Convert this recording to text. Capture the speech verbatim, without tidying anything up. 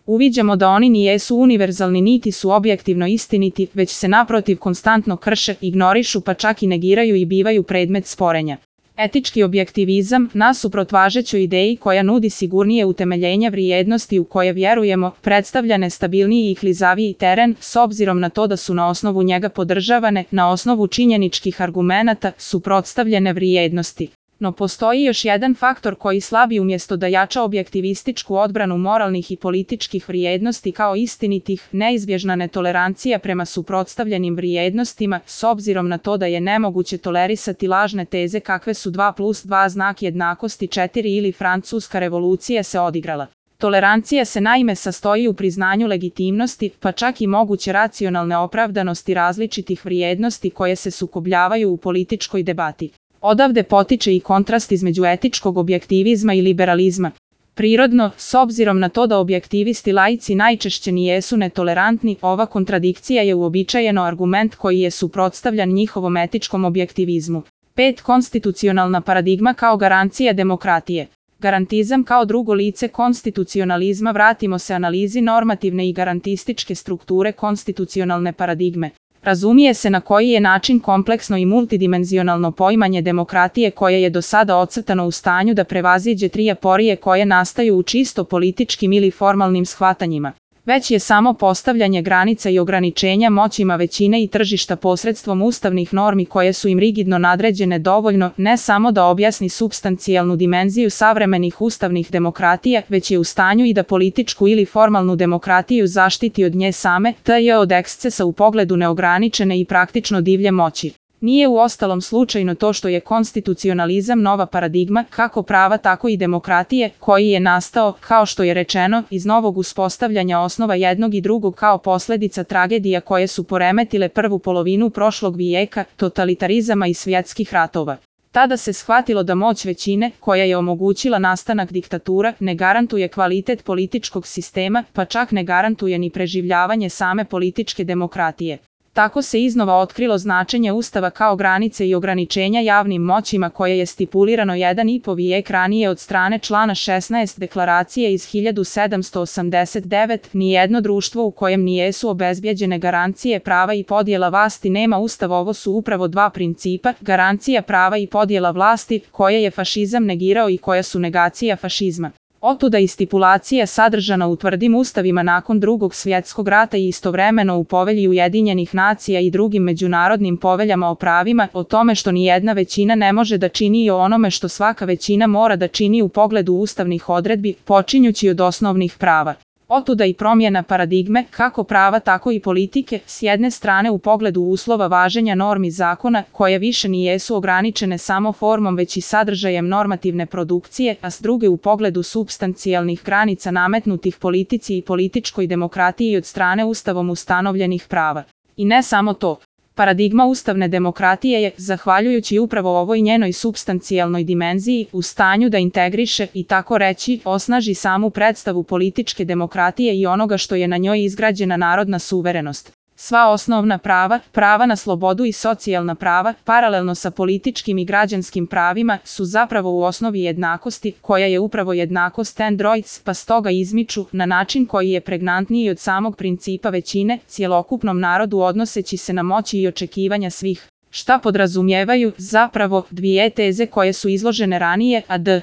Uviđamo da oni ni jesu univerzalni niti su objektivno istiniti, već se naprotiv konstantno krše, ignorišu pa čak i negiraju i bivaju predmet sporenja. Etički objektivizam, nasuprot važećoj ideji koja nudi sigurnije utemeljenja vrijednosti u koje vjerujemo, predstavlja nestabilniji i klizaviji teren, s obzirom na to da su na osnovu njega podržavane, na osnovu činjeničkih argumenata, suprotstavljene vrijednosti. No postoji još jedan faktor koji slabi umjesto da jača objektivističku odbranu moralnih i političkih vrijednosti kao istinitih, neizbježna netolerancija prema suprotstavljenim vrijednostima, s obzirom na to da je nemoguće tolerisati lažne teze kakve su dva plus dva znak jednakosti četiri ili Francuska revolucija se odigrala. Tolerancija se naime sastoji u priznanju legitimnosti, pa čak i moguće racionalne opravdanosti različitih vrijednosti koje se sukobljavaju u političkoj debati. Odavde potiče i kontrast između etičkog objektivizma i liberalizma. Prirodno, s obzirom na to da objektivisti laici najčešće nijesu netolerantni, ova kontradikcija je uobičajeno argument koji je suprotstavljan njihovom etičkom objektivizmu. pet. Konstitucionalna paradigma kao garancija demokratije. Garantizam kao drugo lice konstitucionalizma. Vratimo se analizi normativne i garantističke strukture konstitucionalne paradigme. Razumije se na koji je način kompleksno i multidimenzionalno poimanje demokratije koje je do sada ocrtano u stanju da prevaziđe tri aporije koje nastaju u čisto političkim ili formalnim shvatanjima. Već je samo postavljanje granica i ograničenja moćima većine i tržišta posredstvom ustavnih normi koje su im rigidno nadređene dovoljno ne samo da objasni supstancijalnu dimenziju savremenih ustavnih demokratija, već je u stanju i da političku ili formalnu demokratiju zaštiti od nje same, te je od ekscesa u pogledu neograničene i praktično divlje moći. Nije uostalom slučajno to što je konstitucionalizam nova paradigma, kako prava tako i demokratije, koji je nastao, kao što je rečeno, iz novog uspostavljanja osnova jednog i drugog kao posljedica tragedija koje su poremetile prvu polovinu prošlog vijeka, totalitarizama i svjetskih ratova. Tada se shvatilo da moć većine, koja je omogućila nastanak diktatura, ne garantuje kvalitet političkog sistema, pa čak ne garantuje ni preživljavanje same političke demokratije. Tako se iznova otkrilo značenje Ustava kao granice i ograničenja javnim moćima koje je stipulirano jedan i po vijek ranije od strane člana šesnaest Deklaracije iz hiljadu sedamsto osamdeset devete. Nijedno društvo u kojem nijesu obezbjeđene garancije prava i podjela vlasti nema Ustav. Ovo su upravo dva principa, garancija prava i podjela vlasti, koje je fašizam negirao i koja su negacija fašizma. Otuda i stipulacija sadržana u tvrdim ustavima nakon Drugog svjetskog rata i istovremeno u Povelji Ujedinjenih nacija i drugim međunarodnim poveljama o pravima, o tome što nijedna većina ne može da čini i o onome što svaka većina mora da čini u pogledu ustavnih odredbi, počinjući od osnovnih prava. Otuda i promjena paradigme, kako prava tako i politike, s jedne strane u pogledu uslova važenja normi zakona, koje više nijesu ograničene samo formom već i sadržajem normativne produkcije, a s druge u pogledu supstancijalnih granica nametnutih politici i političkoj demokratiji od strane ustavom ustanovljenih prava. I ne samo to. Paradigma ustavne demokratije je, zahvaljujući upravo ovoj njenoj supstancijalnoj dimenziji, u stanju da integriše i tako reći osnaži samu predstavu političke demokratije i onoga što je na njoj izgrađena narodna suverenost. Sva osnovna prava, prava na slobodu i socijalna prava, paralelno sa političkim i građanskim pravima, su zapravo u osnovi jednakosti, koja je upravo jednakost androids, pa stoga izmiču, na način koji je pregnantniji od samog principa većine, cjelokupnom narodu odnoseći se na moći i očekivanja svih. Šta podrazumijevaju, zapravo, dvije teze koje su izložene ranije, a d.